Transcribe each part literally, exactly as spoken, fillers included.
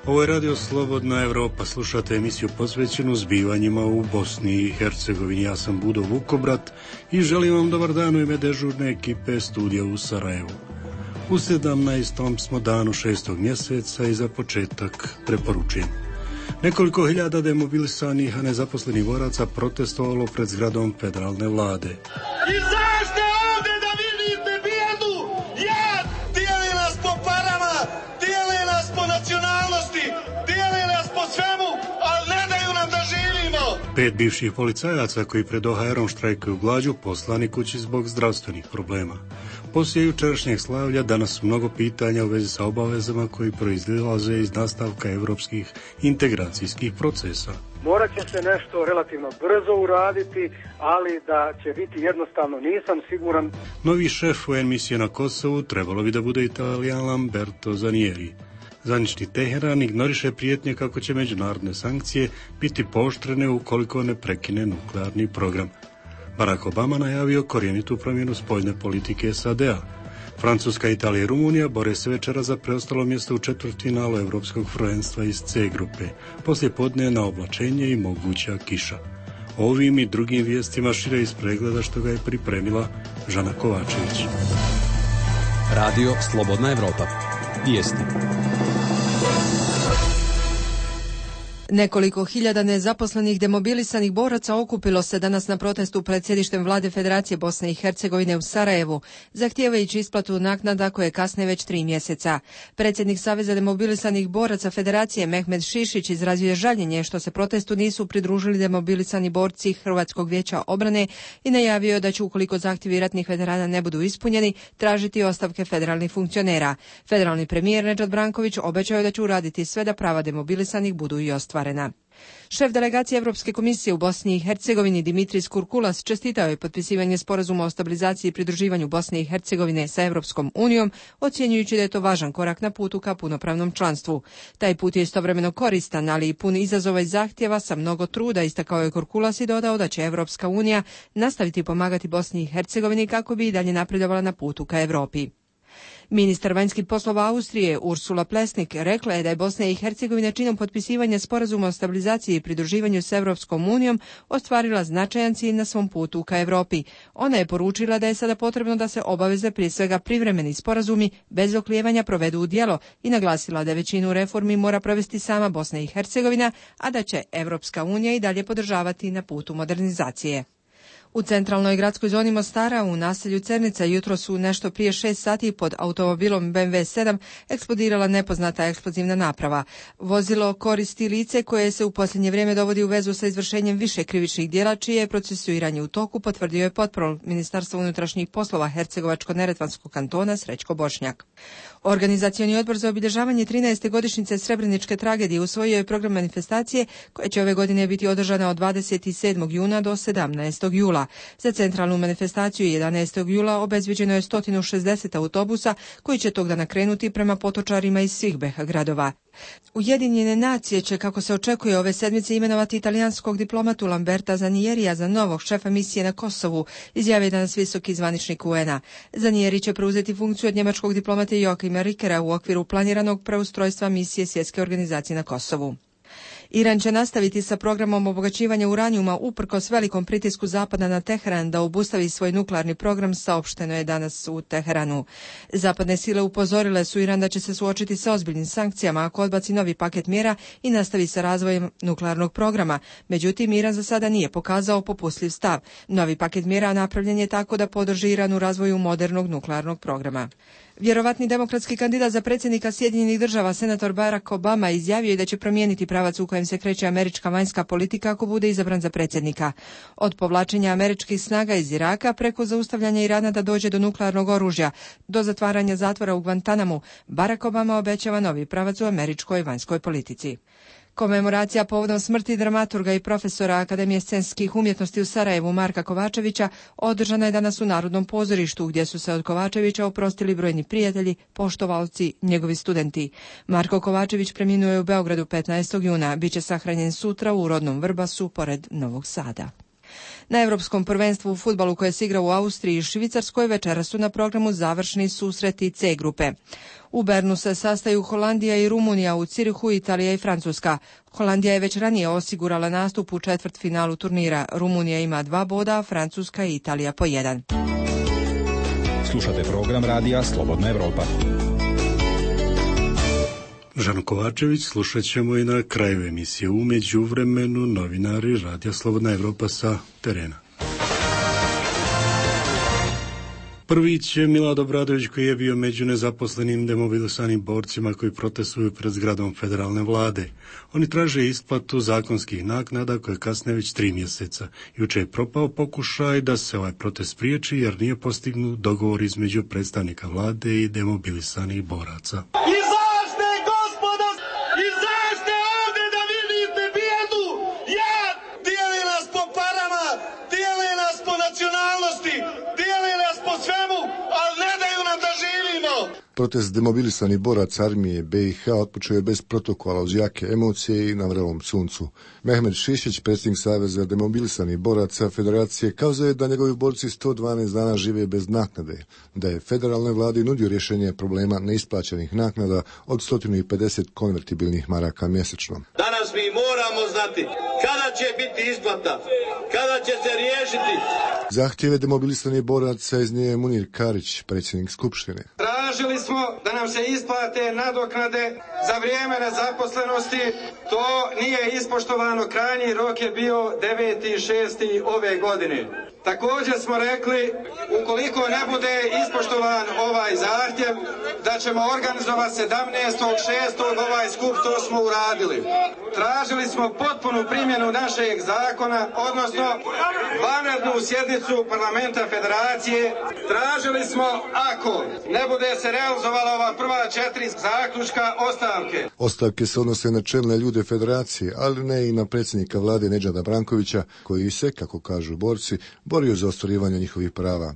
Ovo je Radio Slobodna Evropa, slušate emisiju posvećenu zbivanjima u Bosni i Hercegovini. Ja sam Budo Vukobrat i želim vam dobar dan u ime dežurne ekipe studija u Sarajevu. U sedamnaestom smo danu šestog mjeseca i za početak preporučujem. Nekoliko hiljada demobilisanih, a nezaposlenih boraca protestovalo pred zgradom federalne vlade. Izađite ovdje da vidite bijedu! Jad! Dijeli nas po parama, dijeli nas po nacionalnosti, dijeli nas po svemu, ali ne daju nam da živimo! Pet bivših policajaca koji pred O H R-om štrajkuju glađu poslani kući zbog zdravstvenih problema. Poslije jučerašnjeg slavlja danas su mnogo pitanja u vezi sa obavezama koji proizlaze iz nastavka evropskih integracijskih procesa. Morat će se nešto relativno brzo uraditi, ali da će biti jednostavno nisam siguran. Novi šef U N misije na Kosovu trebalo bi da bude Italijan Lamberto Zanieri. Zvanični Teheran ignoriše prijetnje kako će međunarodne sankcije biti pooštrene ukoliko ne prekine nuklearni program. Barack Obama najavio korjenitu promjenu spoljne politike S A D-a. Francuska, Italija i Rumunija bore se večera za preostalo mjesto u četvrtfinalu Evropskog prvenstva iz C grupe. Poslije podne na oblačenje i moguća kiša. Ovim i drugim vijestima šire iz pregleda što ga je pripremila Žana Kovačević. Radio Slobodna Evropa. Vijesti. Nekoliko hiljada nezaposlenih demobilisanih boraca okupilo se danas na protestu pred sjedištem vlade Federacije Bosne i Hercegovine u Sarajevu, zahtijevajući isplatu naknada koje kasne već tri mjeseca. Predsjednik Saveza demobilisanih boraca Federacije Mehmed Šišić izrazio je žaljenje što se protestu nisu pridružili demobilisani borci Hrvatskog vijeća obrane i najavio da će, ukoliko zahtjevi ratnih veterana ne budu ispunjeni, tražiti ostavke federalnih funkcionera. Federalni premijer Nedžad Branković obećao je da će uraditi sve da prava demobilisanih budu i ostvarena. Šef delegacije Europske komisije u Bosni i Hercegovini Dimitris Kurkulas čestitao je potpisivanje sporazuma o stabilizaciji i pridruživanju Bosne i Hercegovine sa Europskom unijom, ocjenjujući da je to važan korak na putu ka punopravnom članstvu. Taj put je istovremeno koristan, ali i pun izazova i zahtjeva sa mnogo truda, istakao je Kurkulas i dodao da će Europska unija nastaviti pomagati Bosni i Hercegovini kako bi i dalje napredovala na putu ka Europi. Ministar vanjskih poslova Austrije Ursula Plesnik rekla je da je Bosna i Hercegovina činom potpisivanja sporazuma o stabilizaciji i pridruživanju s Europskom unijom ostvarila značajan cilj na svom putu ka Europi. Ona je poručila da je sada potrebno da se obaveze, prije svega privremeni sporazumi, bez oklijevanja provedu u djelo i naglasila da većinu reformi mora provesti sama Bosna i Hercegovina, a da će Europska unija i dalje podržavati na putu modernizacije. U centralnoj gradskoj zoni Mostara u naselju Cernica jutro su nešto prije šest sati pod automobilom B M W sedam eksplodirala nepoznata eksplozivna naprava. Vozilo koristi lice koje se u posljednje vrijeme dovodi u vezu sa izvršenjem više krivičnih djela, čije je procesuiranje u toku, potvrdio je potporol Ministarstva unutrašnjih poslova Hercegovačko-neretvanskog kantona Srećko Bošnjak. Organizacioni odbor za obilježavanje trinaeste godišnjice Srebreničke tragedije usvojio je program manifestacije koja će ove godine biti održana od dvadeset sedmog juna do sedamnaestog jula. Za centralnu manifestaciju jedanaestog jula obezviđeno je sto šezdeset autobusa koji će tog dana krenuti prema potočarima iz svih B iH gradova. Ujedinjene nacije će, kako se očekuje, ove sedmice imenovati italijanskog diplomatu Lamberta Zanierija za novog šefa misije na Kosovu, izjavio danas visoki zvaničnik U N-a. Zanieri će preuzeti funkciju od njemačkog diplomata Joachima Rickera u okviru planiranog preustrojstva misije Svjetske organizacije na Kosovu. Iran će nastaviti sa programom obogaćivanja uranijuma uprkos velikom pritisku Zapada na Teheran da obustavi svoj nuklearni program, saopšteno je danas u Teheranu. Zapadne sile upozorile su Iran da će se suočiti sa ozbiljnim sankcijama ako odbaci novi paket mjera i nastavi sa razvojem nuklearnog programa. Međutim, Iran za sada nije pokazao popustljiv stav. Novi paket mjera napravljen je tako da podrži Iran u razvoju modernog nuklearnog programa. Vjerovatni demokratski kandidat za predsjednika Sjedinjenih država, senator Barack Obama, izjavio je da će promijeniti pravac u kojem se kreće američka vanjska politika ako bude izabran za predsjednika. Od povlačenja američkih snaga iz Iraka preko zaustavljanja Irana da dođe do nuklearnog oružja, do zatvaranja zatvora u Guantanamu, Barack Obama obećava novi pravac u američkoj vanjskoj politici. Komemoracija povodom smrti dramaturga i profesora Akademije scenskih umjetnosti u Sarajevu Marka Kovačevića održana je danas u Narodnom pozorištu, gdje su se od Kovačevića oprostili brojni prijatelji, poštovalci, njegovi studenti. Marko Kovačević preminuo je u Beogradu petnaestog juna, bit će sahranjen sutra u rodnom Vrbasu pored Novog Sada. Na Europskom prvenstvu u fudbalu koje se igra u Austriji i Švicarskoj večeras su na programu završni susreti C grupe. U Bernu se sastaju Holandija i Rumunija, u Cirihu Italija i Francuska. Holandija je već ranije osigurala nastup u četvrtfinalu turnira. Rumunija ima dva boda, a Francuska i Italija po jedan. Slušate program radija Slobodna Evropa. Žan Kovačević, slušat ćemo i na kraju emisije. U međuvremenu novinari radija Slobodna Evropa sa terena. Prvić je Milad Obradović, koji je bio među nezaposlenim demobilisanim borcima koji protestuju pred zgradom federalne vlade. Oni traže isplatu zakonskih naknada koje kasne već tri mjeseca. Juče je propao pokušaj da se ovaj protest spriječi jer nije postignut dogovor između predstavnika vlade i demobilisanih boraca. Izađite, gospodo! Izađite ovdje da vidite bijedu! Jad! Dijeli nas po parama, dijeli nas po nacionalnosti, dijeli nas po svemu, ali ne daju nam da živimo! Protest demobilisanih boraca armije B i H otpočeo je bez protokola, uz jake emocije i na vrelom suncu. Mehmet Šišić, predsjednik Saveza demobilisanih boraca Federacije, kazao je da njegovi borci sto dvanaest dana žive bez naknade, da je federalnoj vladi nudio rješenje problema neisplaćenih naknada od sto pedeset konvertibilnih maraka mjesečno. Danas mi moramo znati kada će biti isplata, kada će se riješiti. Zahtjeve demobilisanih boraca iznio je Munir Karić, predsjednik Skupštine. Tražili smo da nam se isplate nadoknade za vrijeme nezaposlenosti. To nije ispoštovano, krajnji rok je bio deveti šesti ove godine. Također smo rekli, ukoliko ne bude ispoštovan ovaj zahtjev, da ćemo organizovati sedamnaestog šestog ovaj skup, to smo uradili. Tražili smo potpunu primjenu našeg zakona, odnosno vanrednu sjednicu parlamenta Federacije. Tražili smo, ako ne bude se realizovala ova prva četiri zaključka, ostavke. Ostavke se odnose na čelne ljude Federacije, ali ne i na predsjednika vlade Nedžada Brankovića, koji se, kako kažu borci, borio za ostvarivanje njihovih prava.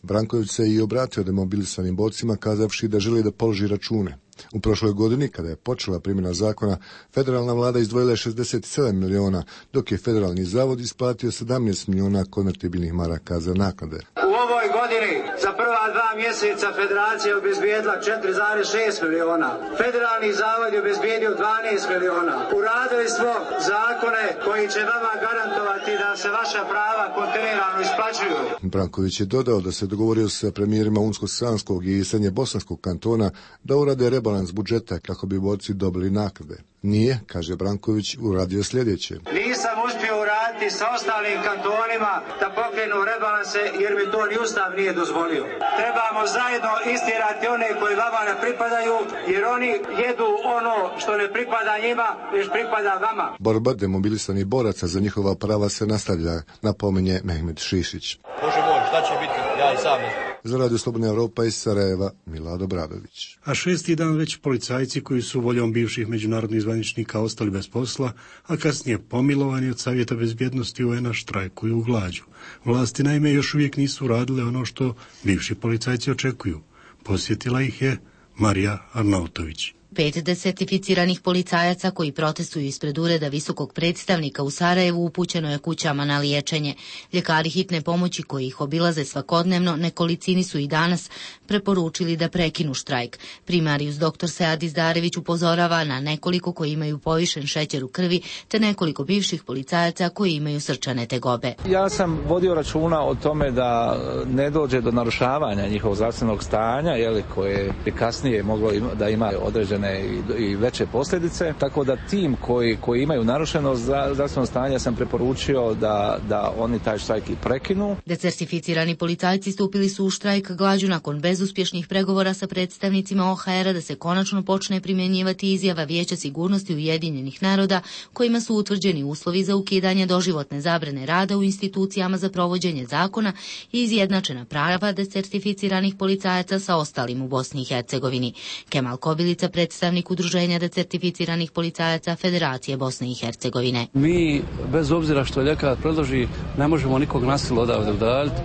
Branković se i obratio demobilisanim borcima kazavši da želi da položi račune. U prošloj godini, kada je počela primjena zakona, federalna vlada izdvojila je šezdeset sedam miliona, dok je federalni zavod isplatio sedamnaest miliona konvertibilnih maraka za naknade. U ovoj godini za prva dva mjeseca Federacija je obezbijedila četiri zarez šest miliona. Federalni zavod je obezbijedio dvanaest miliona. Uradili smo zakone koji će vama garantovati da se vaša prava kontinuirano isplaćuju. Branković je dodao da se dogovorio sa premijerima Unsko-Sanskog i Srednje Bosanskog kantona da urade rebalans budžeta kako bi borci dobili naknade. Nije, kaže Branković, uradio sljedeće. Nisam uspio uraditi sa ostalim kantonima da pokrenu rebalanse jer mi to ni Ustav nije dozvolio. Trebamo zajedno istirati one koji vama ne pripadaju jer oni jedu ono što ne pripada njima, već pripada vama. Borba demobilisanih boraca za njihova prava se nastavlja, napominje Mehmet Šišić. Bože moj, šta će biti? Ja i sam. Za Radio Slobodna Evropa iz Sarajeva, Milad Obradović. A šesti dan već policajci koji su voljom bivših međunarodnih zvaničnika ostali bez posla, a kasnije pomilovani od Savjeta bezbjednosti U N-a štrajkuju u glađu. Vlasti naime još uvijek nisu radile ono što bivši policajci očekuju. Posjetila ih je Marija Arnautović. Pet desertificiranih policajaca koji protestuju ispred ureda visokog predstavnika u Sarajevu upućeno je kućama na liječenje. Ljekari hitne pomoći koji ih obilaze svakodnevno nekolicini su i danas preporučili da prekinu štrajk. Primarius doktor Sead Izdarević upozorava na nekoliko koji imaju povišen šećer u krvi te nekoliko bivših policajaca koji imaju srčane tegobe. Ja sam vodio računa o tome da ne dođe do narušavanja njihovog zdravstvenog stanja, jeli, koje bi kasnije moglo ima, da ima određene I, i veće posljedice, tako da tim koji, koji imaju narušeno zdravstveno stanje sam preporučio da, da oni taj štrajk i prekinu. Decertificirani policajci stupili su u štrajk glađu nakon bezuspješnih pregovora sa predstavnicima O H R-a da se konačno počne primjenjivati izjava Vijeća sigurnosti Ujedinjenih naroda kojima su utvrđeni uslovi za ukidanje doživotne zabrane rada u institucijama za provođenje zakona i izjednačena prava decertificiranih policajaca sa ostalim u Bosni i Hercegovini. Kemal Kobilica, predstavnik udruženja decertificiranih policajaca Federacije Bosne i Hercegovine. Mi, bez obzira što ljekar predloži, ne možemo nikog nasilno odavde udaljiti,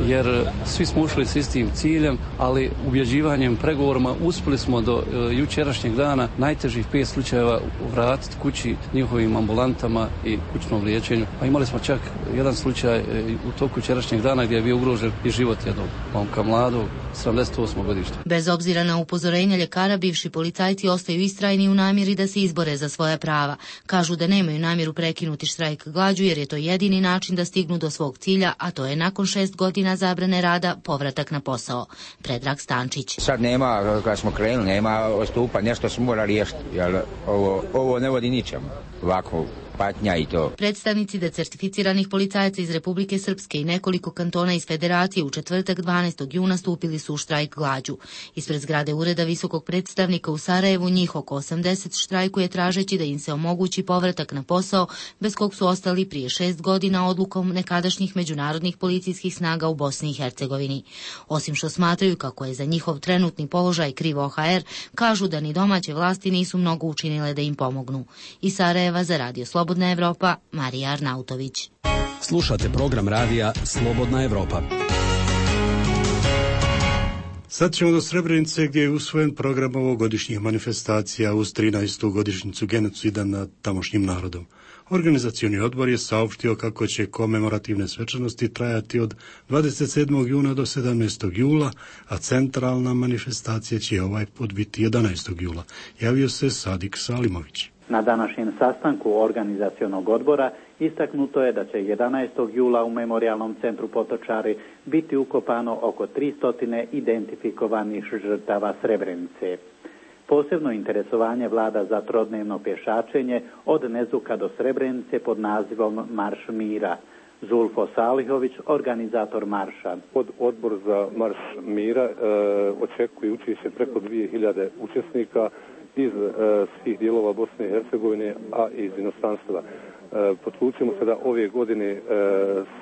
jer svi smo ušli s istim ciljem, ali ubjeđivanjem, pregovorima uspjeli smo do e, jučerašnjeg dana najtežih pet slučajeva vratiti kući njihovim ambulantama i kućnom liječenju. Pa imali smo čak jedan slučaj e, u toku jučerašnjeg dana gdje je bio ugrožen i život jednog momka mladog, sedamdeset osmog godišta. Bez obzira na upozorenja ljekara, bivši policajci ostaju istrajni u namjeri da se izbore za svoja prava. Kažu da nemaju namjeru prekinuti štrajk glađu jer je to jedini način da stignu do svog cilja, a to je nakon šest godina zabrane rada povratak na posao. Predrag Stančić. Sad nema, kad smo krenuli, nema odstupa, nešto se mora riješiti, jer ovo, ovo ne vodi ničemu, ovako patnja i to. Predstavnici decertificiranih policajaca iz Republike Srpske i nekoliko kantona iz Federacije u četvrtak dvanaestog juna stupili su u štrajk glađu. Ispred zgrade Ureda visokog predstavnika u Sarajevu njih oko osamdeset štrajkuje tražeći da im se omogući povratak na posao bez kog su ostali prije šest godina odlukom nekadašnjih međunarodnih policijskih snaga u Bosni i Hercegovini. Osim što smatraju kako je za njihov trenutni položaj kriv O H R, kažu da ni domaće vlasti nisu mnogo učinile da im pomognu. Iz Sarajeva za Radio Slobodna Evropa, Marija Arnautović. Slušate program radija Slobodna Evropa. Sad ćemo do Srebrenice gdje je usvojen program ovogodišnjih manifestacija uz trinaestu godišnjicu genocida nad tamošnjim narodom. Organizacioni odbor je saopštio kako će komemorativne svečanosti trajati od dvadeset sedmog juna do sedamnaestog jula, a centralna manifestacija će ovaj put biti jedanaestog jula. Javio se Sadik Salimović. Na današnjem sastanku organizacionog odbora istaknuto je da će jedanaestog jula u Memorijalnom centru Potočari biti ukopano oko tristo identifikovanih žrtava Srebrenice. Posebno interesovanje vlada za trodnevno pješačenje od Nezuka do Srebrenice pod nazivom Marš mira. Zulfo Salihović, organizator marša. Od odbor za Marš mira e, očekuje učešće preko dvije hiljade učesnika iz e, svih dijelova Bosne i Hercegovine, a i iz inostranstva. E, Potlučimo se da ove godine e,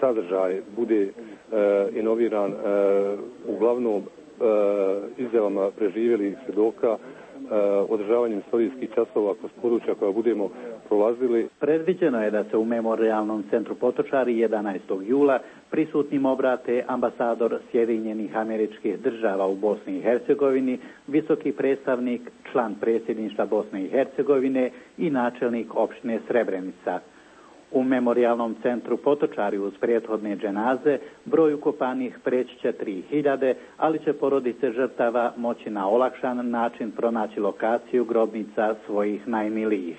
sadržaj bude e, inoviran e, uglavnom e, izjavama preživjelih svjedoka, održavanjem istorijskih časova kroz područja koja budemo prolazili. Predviđeno je da se u Memorijalnom centru Potočari jedanaestog jula prisutnim obrate ambasador Sjedinjenih Američkih Država u Bosni i Hercegovini, visoki predstavnik, član predsjedništva Bosne i Hercegovine i načelnik opštine Srebrenica. U Memorijalnom centru Potočari uz prethodne dženaze broj ukopanih preći će tri hiljade, ali će porodice žrtava moći na olakšan način pronaći lokaciju grobnica svojih najmilijih,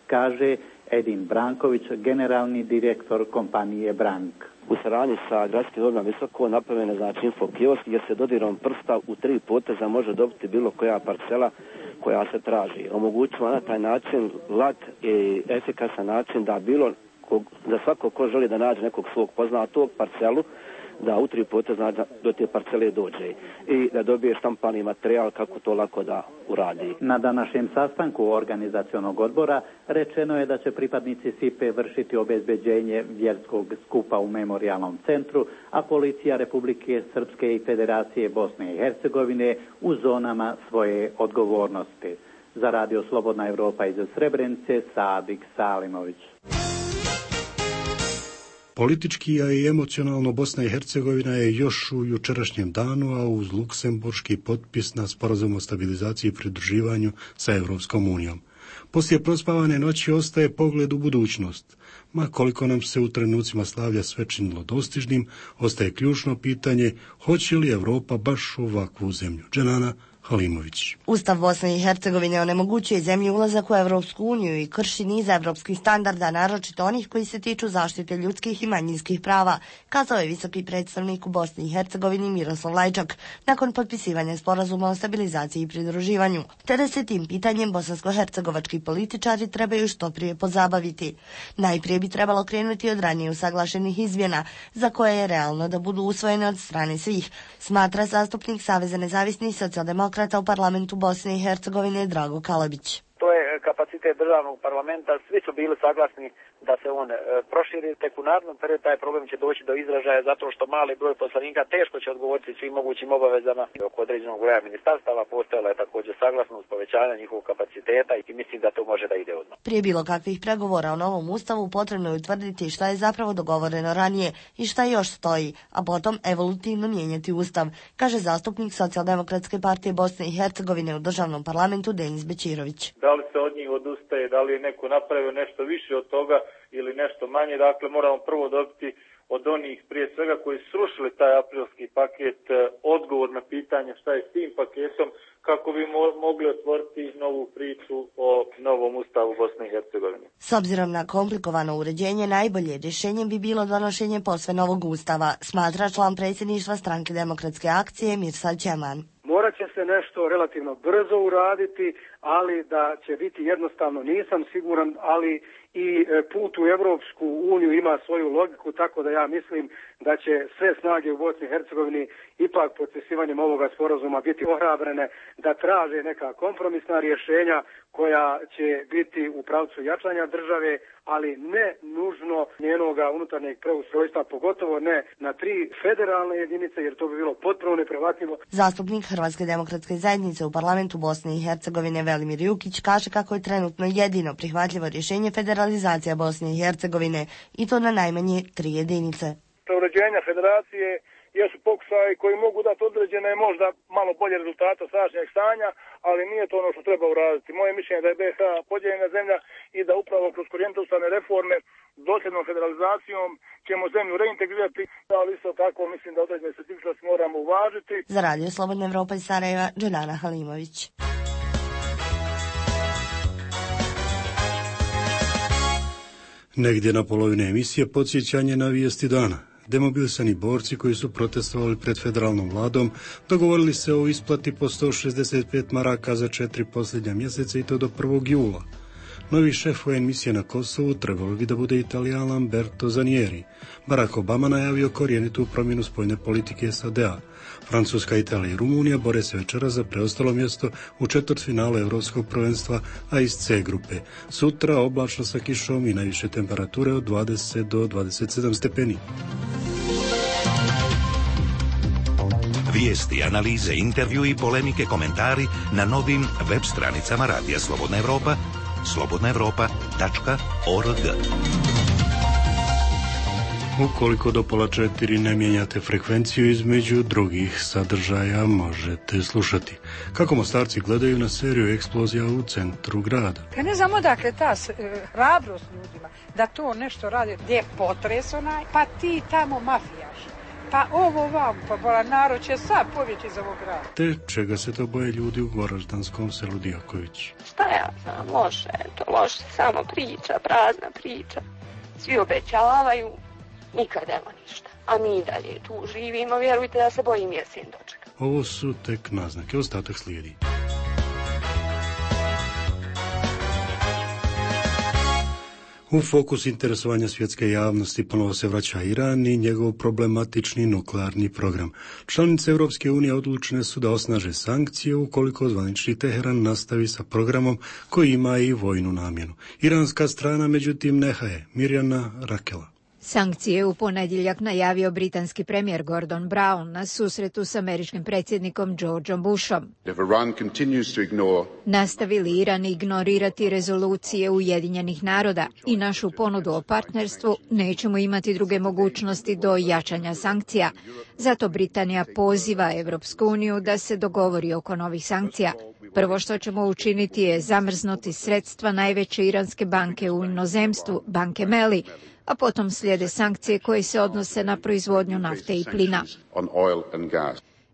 kaže Edin Branković, generalni direktor kompanije Brank. U saradnji sa gradskim odborom Visoko napravljen je znači info kiosk gdje se dodirom prsta u tri poteza može dobiti bilo koja parcela koja se traži. Omogućava na taj način lak i efikasan način da bilo da svako ko želi da nađe nekog svog poznatog parcelu, da u tri poteza do te parcele dođe i da dobije štampani materijal kako to lako da uradi. Na današnjem sastanku organizacionog odbora rečeno je da će pripadnici S I P-e vršiti obezbeđenje vjerskog skupa u Memorijalnom centru, a policija Republike Srpske i Federacije Bosne i Hercegovine u zonama svoje odgovornosti. Za Radio Slobodna Evropa iz Srebrenice, Sadik Salimović. Politički, a i emocionalno Bosna i Hercegovina je još u jučerašnjem danu, a uz luksemburški potpis na sporazum o stabilizaciji i pridruživanju sa Evropskom unijom. Poslije prospavane noći ostaje pogled u budućnost. Ma koliko nam se u trenucima slavlja sve činilo dostižnim, ostaje ključno pitanje hoće li Evropa baš ovakvu zemlju. Dženana Halimović. Ustav Bosne i Hercegovine onemogućuje zemlji ulazak u Evropsku uniju i krši niz evropskih standarda, naročito onih koji se tiču zaštite ljudskih i manjinskih prava, kazao je visoki predstavnik u Bosni i Hercegovini Miroslav Lajčak nakon potpisivanja sporazuma o stabilizaciji i pridruživanju. Te da se tim pitanjem bosansko-hercegovački političari trebaju što prije pozabaviti. Najprije bi trebalo krenuti od ranije usaglašenih izmjena, za koje je realno da budu usvojene od strane svih, smatra zastupnik Saveza nezavisnih socijaldemokrata u parlamentu Bosne i Hercegovine Drago Kalabić. To je kapacitet državnog parlamenta, svi su bili saglasni da se on e, proširi. Tek u narednom periodu taj problem će doći do izražaja zato što mali broj poslanika teško će odgovoriti svim mogućim obavezama. Oko određenog broja ministarstava postojala je također saglasnost povećanja njihovog kapaciteta i mislim da to može da ide odmah. Prije bilo kakvih pregovora o novom ustavu potrebno je utvrditi šta je zapravo dogovoreno ranije i šta još stoji, a potom evolutivno mijenjati ustav, kaže zastupnik Socijaldemokratske partije Bosne i Hercegovine u državnom parlamentu Denis Bećirović. Da li se od njih odustaje, da li je neko napravio nešto više od toga ili nešto manje, dakle moramo prvo dobiti od onih prije svega koji su srušili taj aprilski paket odgovor na pitanje šta je s tim paketom kako bi mo- mogli otvoriti novu priču o novom ustavu Bosne i Hercegovine. S obzirom na komplikovano uređenje, najbolje rješenje bi bilo donošenje posve novog ustava, smatra član predsjedništva Stranke demokratske akcije Mirsad Čeman. Morat će se nešto relativno brzo uraditi, ali da će biti jednostavno nisam siguran, ali i put u Europsku uniju ima svoju logiku, tako da ja mislim da će sve snage u Bosni i Hercegovini ipak potpisivanjem ovoga sporazuma biti ohrabrene da traže neka kompromisna rješenja koja će biti u pravcu jačanja države, ali ne nužno njenoga unutarnjeg preustrojstva, pogotovo ne na tri federalne jedinice, jer to bi bilo potpuno neprihvatljivo. Zastupnik Hrvatske demokratske zajednice u parlamentu Bosne i Hercegovine Velimir Jukić kaže kako je trenutno jedino prihvatljivo rješenje federalizacija Bosne i Hercegovine i to na najmanje tri jedinice. Uređenja federacije jesu pokušaji koji mogu dati određene možda malo bolje rezultate sadašnjeg stanja, ali nije to ono što treba uraditi. Moje mišljenje je da je B iH podijeljena zemlja i da upravo kroz korijente ustavne reforme dosljednom federalizacijom ćemo zemlju reintegrirati, ali isto tako mislim da određene specifičnosti moramo uvažiti. Za Radio Slobodna Evropa iz Sarajeva, Dženana Halimović. Negdje na polovine emisije podsjećanje na vijesti dana. Demobilisani borci koji su protestovali pred federalnom vladom dogovorili se o isplati po sto šezdeset pet maraka za četiri posljednja mjeseca i to do prvog jula. Novi šef U N misije na Kosovu trebalo bi da bude Italijan Lamberto Zanieri. Barack Obama najavio korijenitu promjenu spoljne politike S A D-a. Francuska, Italija i Rumunija bore se večera za preostalo mjesto u četvrtfinalu Europskog prvenstva, a iz C grupe. Sutra oblačno sa kišom i najviše temperature od dvadeset do dvadeset sedam stepeni. Vijesti, analize, intervju i polemike, komentari na novim web stranicama Radija Slobodna Evropa, slobodna evropa tačka org. Ukoliko do pola četiri ne mijenjate frekvenciju, između drugih sadržaja možete slušati kako Mostarci gledaju na seriju eksplozija u centru grada. Ja ne znam odakle ta hrabrost ljudima da to nešto radi, gdje je potres onaj, pa ti tamo mafijaš. Pa ovo vam, pa bola narod će sad pobjeći iz ovog grada. Te čega se to boje ljudi u goraždanskom selu Dijaković? Šta ja znam, loše, to loše, samo priča, prazna priča. Svi obećavaju, nikad evo ništa. A mi dalje tu živimo, vjerujte da se bojim jesen dočeka. Ovo su tek naznake, ostatak slijedi. U fokus interesovanja svjetske javnosti ponovo se vraća Iran i njegov problematični nuklearni program. Članice Europske unije odlučne su da osnaže sankcije ukoliko zvanični Teheran nastavi sa programom koji ima i vojnu namjenu. Iranska strana međutim nehaje. Mirjana Rakela. Sankcije u ponedjeljak najavio britanski premijer Gordon Brown na susretu s američkim predsjednikom Georgeom Bushom. Ignore... Nastavi li Iran ignorirati rezolucije Ujedinjenih naroda i našu ponudu o partnerstvu, nećemo imati druge mogućnosti do jačanja sankcija. Zato Britanija poziva Europsku uniju da se dogovori oko novih sankcija. Prvo što ćemo učiniti je zamrznuti sredstva najveće iranske banke u inozemstvu, banke Meli, a potom slijede sankcije koje se odnose na proizvodnju nafte i plina.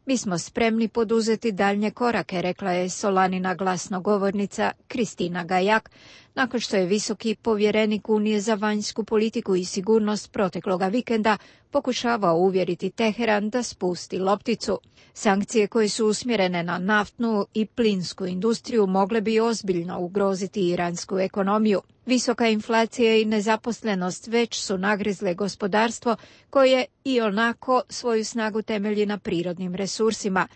Mi smo spremni poduzeti daljnje korake, rekla je Solanina glasnogovornica Kristina Gajak, nakon što je visoki povjerenik Unije za vanjsku politiku i sigurnost protekloga vikenda pokušavao uvjeriti Teheran da spusti lopticu. Sankcije koje su usmjerene na naftnu i plinsku industriju mogle bi ozbiljno ugroziti iransku ekonomiju. Visoka inflacija i nezaposlenost već su nagrizle gospodarstvo koje i onako svoju snagu temelji na prirodnim resursima.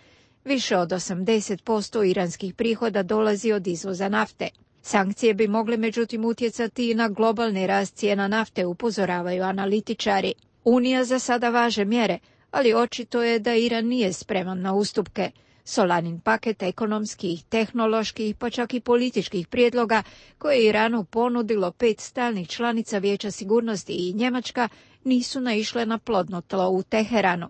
Više od osamdeset posto iranskih prihoda dolazi od izvoza nafte. Sankcije bi mogle međutim utjecati i na globalni rast cijena nafte, upozoravaju analitičari. Unija za sada važe mjere, ali očito je da Iran nije spreman na ustupke. Solanin paket ekonomskih, tehnoloških, pa čak i političkih prijedloga koje je Iranu ponudilo pet stalnih članica Vijeća sigurnosti i Njemačka nisu naišle na plodno tlo u Teheranu.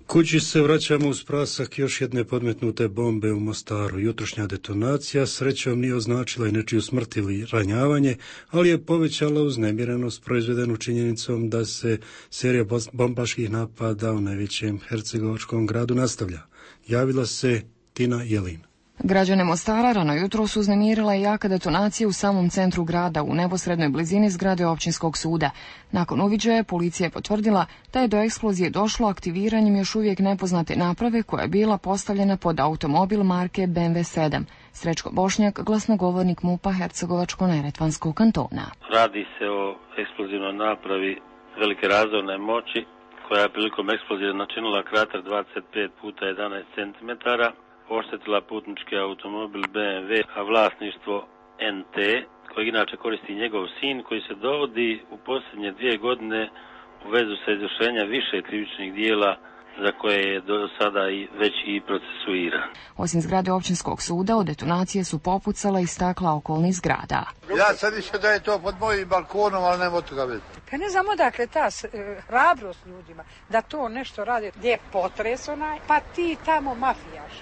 Kući se vraćamo uz prasak još jedne podmetnute bombe u Mostaru. Jutrošnja detonacija srećom nije označila i nečiju smrt ili ranjavanje, ali je povećala uznemirenost proizvedenu činjenicom da se serija bombaških napada u najvećem hercegovačkom gradu nastavlja. Javila se Tina Jelin. Građane Mostara rano jutro su uznemirila i jaka detonacija u samom centru grada u neposrednoj blizini zgrade općinskog suda. Nakon uviđaja policija je potvrdila da je do eksplozije došlo aktiviranjem još uvijek nepoznate naprave koja je bila postavljena pod automobil marke B M W sedam. Srećko Bošnjak, glasnogovornik MUP-a Hercegovačko-neretvanskog kantona. Radi se o eksplozivnoj napravi velike razorne moći koja je prilikom eksplozije načinila krater dvadeset pet puta jedanaest centimetara. Oštetila putnički automobil B M W, a vlasništvo N T, koji inače koristi njegov sin, koji se dovodi u posljednje dvije godine u vezu sa izvršenja više krivičnih dijela za koje je do sada i već i procesuiran. Osim zgrade općinskog suda, od detonacije su popucala i stakla okolnih zgrada. Ja sad više da je to pod mojim balkonom, ali nema od toga već. Pa ne znamo dakle ta e, hrabrost ljudima da to nešto radi gdje je potres onaj, pa ti tamo mafijaš.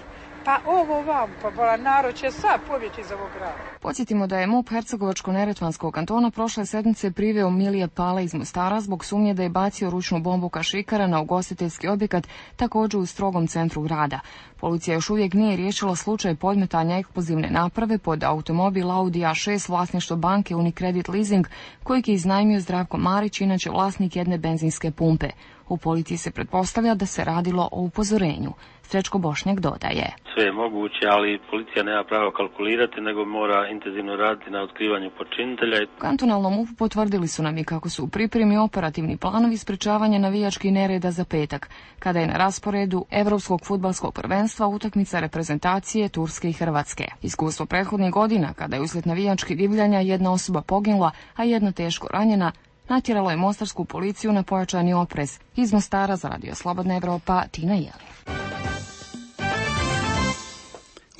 Pa ovo vam, pa bola, narod će sad pobjeći iz ovog grada. Podsjetimo da je MUP Hercegovačko-neretvanskog kantona prošle sedmice priveo Milije Pale iz Mostara zbog sumnje da je bacio ručnu bombu kašikara na ugostiteljski objekat također u strogom centru grada. Policija još uvijek nije riješila slučaj podmetanja eksplozivne naprave pod automobil Audi A šest vlasništvo banke Unicredit Leasing, kojeg je iznajmio Zdravko Marić, inače vlasnik jedne benzinske pumpe. U policiji se pretpostavlja da se radilo o upozorenju. Srećko Bošnjak dodaje. Sve je moguće, ali policija nema pravo kalkulirati, nego mora intenzivno raditi na otkrivanju počinitelja. U kantonalnom M U P-u potvrdili su nam i kako su u pripremi operativni planovi sprečavanja navijačkih nereda za petak, kada je na rasporedu Evropskog fudbalskog prvenstva utakmica reprezentacije Turske i Hrvatske. Iskustvo prethodnih godina, kada je uslijed navijačkih divljanja jedna osoba poginula, a jedna teško ranjena, natjeralo je mostarsku policiju na pojačani oprez. Iz Mostara za Radio Slobodna Evropa, Tina Jelin.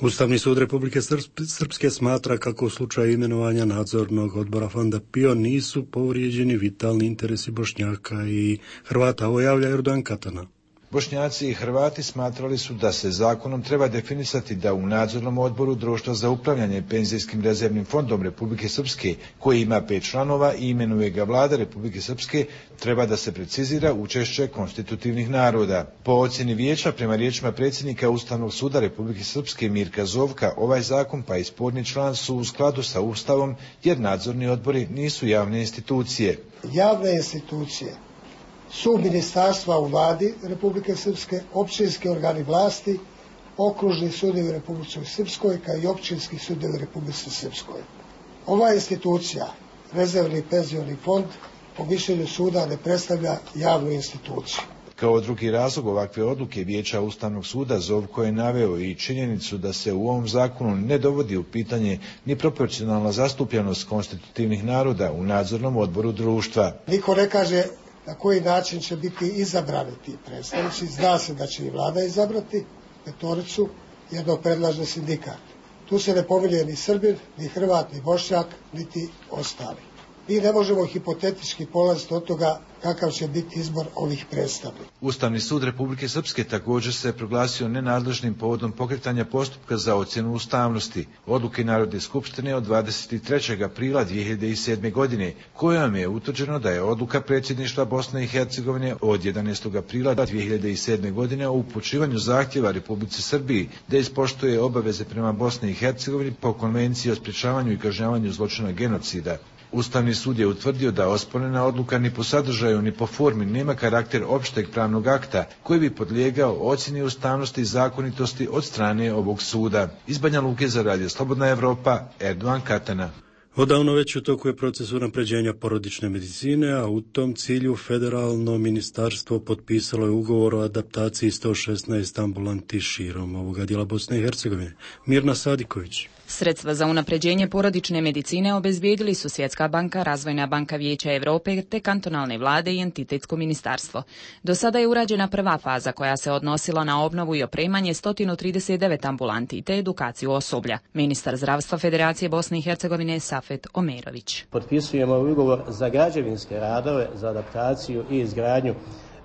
Ustavni sud Republike Srpske smatra kako u slučaju imenovanja nadzornog odbora Fonda Pio nisu povrijeđeni vitalni interesi Bošnjaka i Hrvata. Ovo javlja Erdogan Katana. Bošnjaci i Hrvati smatrali su da se zakonom treba definisati da u nadzornom odboru Društva za upravljanje penzijskim rezervnim fondom Republike Srpske, koji ima pet članova i imenuje ga vlada Republike Srpske, treba da se precizira učešće konstitutivnih naroda. Po ocjeni vijeća, prema riječima predsjednika Ustavnog suda Republike Srpske Mirka Zovka, ovaj zakon pa i sporni član su u skladu sa Ustavom, jer nadzorni odbori nisu javne institucije. Javne institucije su ministarstva u vladi Republike Srpske, općinski organi vlasti, okružni sudovi u Republici Srpskoj, kao i općinski sudovi u Republici Srpskoj. Ova institucija, rezervni penzioni fond, po mišljenju suda ne predstavlja javnu instituciju. Kao drugi razlog ovakve odluke vijeća Ustavnog suda Zovko je naveo i činjenicu da se u ovom zakonu ne dovodi u pitanje ni proporcionalna zastupljenost konstitutivnih naroda u nadzornom odboru društva. Niko ne kaže na koji način će biti izabrani ti predstavnici. Zna se da će i vlada izabrati petoricu, jednog predlaže sindikat. Tu se ne pominje ni Srbin, ni Hrvat, ni Bošnjak, niti ostali. Mi ne možemo hipotetički polaziti od toga kakav će biti izbor ovih predstavnika. Ustavni sud Republike Srpske također se proglasio nenadležnim povodom pokretanja postupka za ocjenu ustavnosti odluke Narodne skupštine od dvadeset trećeg aprila dvije hiljade sedme. godine, kojom je utvrđeno da je odluka predsjedništva Bosne i Hercegovine od jedanaestog aprila dvije hiljade sedme. godine o upućivanju zahtjeva Republici Srbiji da ispoštuje obaveze prema Bosni i Hercegovini po Konvenciji o sprječavanju i kažnjavanju zločina genocida. Ustavni sud je utvrdio da osporena odluka ni po sadržaju ni po formi nema karakter opšteg pravnog akta koji bi podlijegao ocjeni ustavnosti i zakonitosti od strane ovog suda. Iz Banja Luke za Radio Slobodna Evropa, Erdogan Katana. Odavno već u toku je proces unapređenja porodične medicine, a u tom cilju federalno ministarstvo potpisalo je ugovor o adaptaciji sto šesnaest ambulanti širom ovoga dijela Bosne i Hercegovine. Mirna Sadiković. Sredstva za unapređenje porodične medicine obezbijedili su Svjetska banka, Razvojna banka Vijeća Europe te kantonalne vlade i entitetsko ministarstvo. Do sada je urađena prva faza koja se odnosila na obnovu i opremanje sto trideset devet ambulanti te edukaciju osoblja. Ministar zdravstva Federacije Bosne i Hercegovine Safet Omerović. Potpisujemo ugovor za građevinske radove, za adaptaciju i izgradnju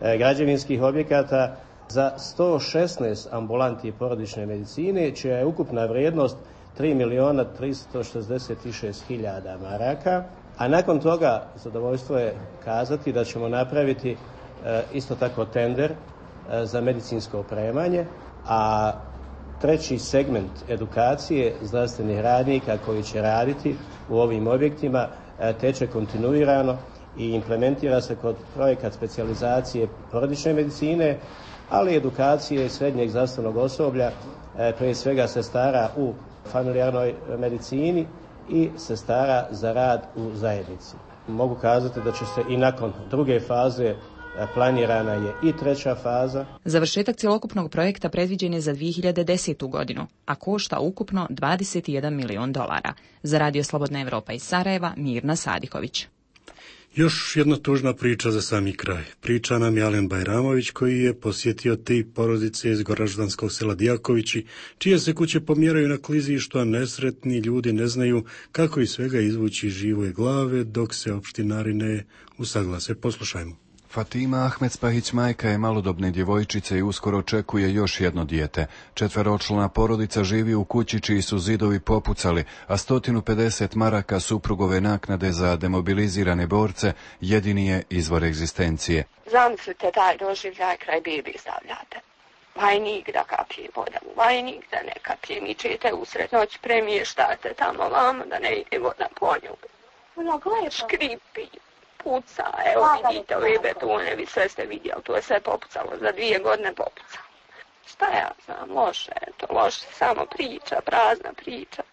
e, građevinskih objekata za sto šesnaest ambulanti porodične medicine, čija je ukupna vrijednost tri milijuna tristo šezdeset šest hiljada maraka, a nakon toga zadovoljstvo je kazati da ćemo napraviti e, isto tako tender e, za medicinsko opremanje, a treći segment edukacije zdravstvenih radnika koji će raditi u ovim objektima e, teče kontinuirano i implementira se kod projekat specijalizacije porodične medicine, ali i edukacije srednjeg zdravstvenog osoblja, e, prije svega sestara u familijarnoj medicini i sestara za rad u zajednici. Mogu kazati da će se i nakon druge faze, planirana je i treća faza. Završetak cjelokupnog projekta predviđen je za dvije hiljade desetu godinu, a košta ukupno dvadeset jedan milion dolara. Za Radio Slobodna Evropa iz Sarajeva, Mirna Sadiković. Još jedna tužna priča za sami kraj. Priča nam je Alen Bajramović koji je posjetio tri porodice iz goraždanskog sela Dijakovići, čije se kuće pomjeraju na klizištu, a nesretni ljudi ne znaju kako iz svega izvući živoje glave dok se opštinari ne usaglase. Poslušajmo. Fatima Ahmedspahić majka je malodobne djevojčice i uskoro očekuje još jedno dijete. Četveročlana porodica živi u kući čiji su zidovi popucali, a sto pedeset maraka suprugove naknade za demobilizirane borce jedini je izvor egzistencije. Zamislite taj doživljaj kraj bebi stavljate. Vajnik da kapije voda u vajnik, da ne kapije mičete usred noći, premještate tamo vamo da ne ide voda po nju. Škripi. Puca, evo vidite ove betone, vi sve ste vidjeli, to je sve popucalo, za dvije godine popucalo. Šta ja znam, loše, to loše, samo priča, prazna priča.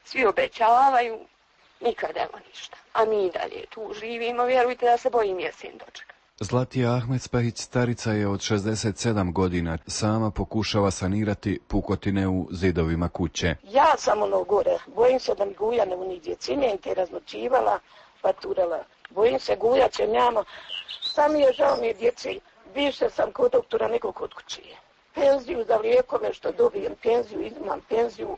Svi obećavaju, nikad evo ništa. A mi dalje tu živimo, vjerujte da se bojim jesin dočeka. Zlatija Ahmedspahić starica je od šezdeset sedam godina, sama pokušava sanirati pukotine u zidovima kuće. Ja sam ono gore, bojim se da mi guja ne uniđe, cimente raznočivala, paturala. Bojim se guja će njama, sam je žao mi je djeci, više sam kod doktora nego kod kućije. Penziju za lijekove što dobijem, penziju, imam penziju,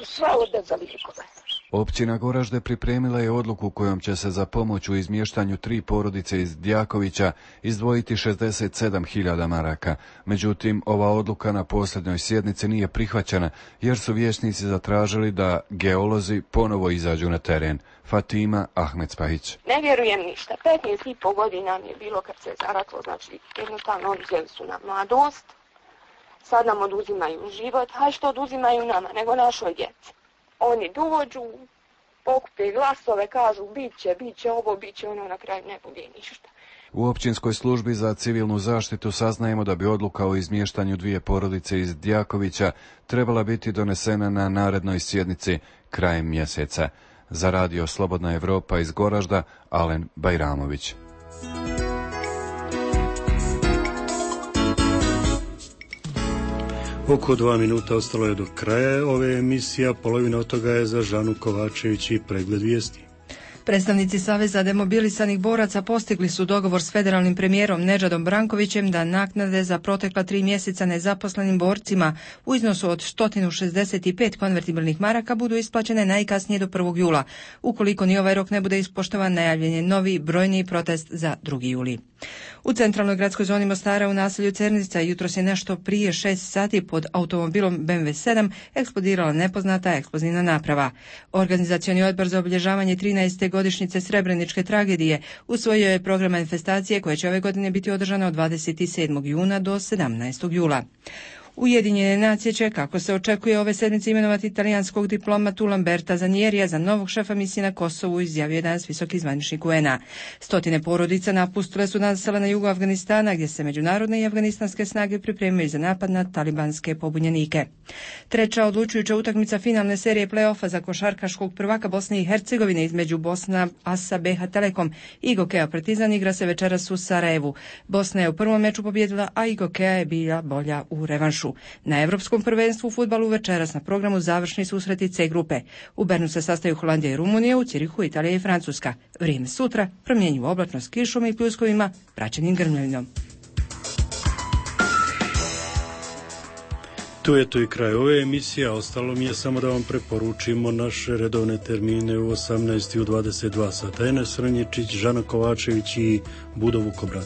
sva ode za lijekove. Općina Goražde pripremila je odluku kojom će se za pomoć u izmještanju tri porodice iz Djakovića izdvojiti šezdeset sedam hiljada maraka. Međutim, ova odluka na posljednjoj sjednici nije prihvaćena jer su vijećnici zatražili da geolozi ponovo izađu na teren. Fatima Ahmedspahić. Ne vjerujem ništa. petnaest i po godina mi je bilo kad se zaratlo, znači jednostavno oduzeli su nam mladost, sad nam oduzimaju život, a što oduzimaju nama, nego našoj djeci. Oni dođu, pokupe glasove, kažu bit će, bit će ovo, bit će ono, na kraju ne bude ništa. U općinskoj službi za civilnu zaštitu saznajemo da bi odluka o izmještanju dvije porodice iz Djakovića trebala biti donesena na narednoj sjednici krajem mjeseca. Za Radio Slobodna Evropa iz Goražda, Alen Bajramović. Oko dva minuta ostalo je do kraja ove emisije, polovina od toga je za Žanu Kovačević i pregled vijesti. Predstavnici Saveza demobilisanih boraca postigli su dogovor s federalnim premijerom Nedžadom Brankovićem da naknade za protekla tri mjeseca nezaposlenim borcima u iznosu od sto šezdeset pet konvertibilnih maraka budu isplaćene najkasnije do prvog jula. Ukoliko ni ovaj rok ne bude ispoštovan, najavljen je novi brojniji protest za drugi juli. U centralnoj gradskoj zoni Mostara u naselju Cernica jutros je nešto prije šest sati pod automobilom B M W sedam eksplodirala nepoznata eksplozivna naprava. Organizacioni odbor za obilježavanje trinaeste godišnjice Srebreničke tragedije usvojio je program manifestacije koje će ove godine biti održana od dvadeset sedmog juna do sedamnaestog jula. Ujedinjene nacije će, kako se očekuje, ove sedmice imenovati italijanskog diplomatu Lamberta Zanierija za novog šefa misije na Kosovu, izjavio je danas visoki zvaničnik U N A. Stotine porodica napustile su nasela na jugu Afganistana, gdje se međunarodne i afganistanske snage pripremaju za napad na talibanske pobunjenike. Treća odlučujuća utakmica finalne serije play-offa za košarkaškog prvaka Bosne i Hercegovine između Bosna Asa B H Telekom i Gokeja Partizan igra se večeras u Sarajevu. Bosna je u prvom meču pobjedila, a i Gokeja je bila bolja u revanšu. Na Evropskom prvenstvu u fudbalu večeras na programu završni susreti C grupe. U Bernu se sastaju Holandija i Rumunija, u Cirihu Italija i Francuska. Vrijeme sutra promjenjivo oblačno s kišom i pljuskovima, praćenim grmljavinom. Tu je to i kraj ove emisije, a ostalo mi je samo da vam preporučimo naše redovne termine u osamnaest i u dvadeset dva sata. Enes Srnjičić, Žana Kovačević i Budo Vukobrat.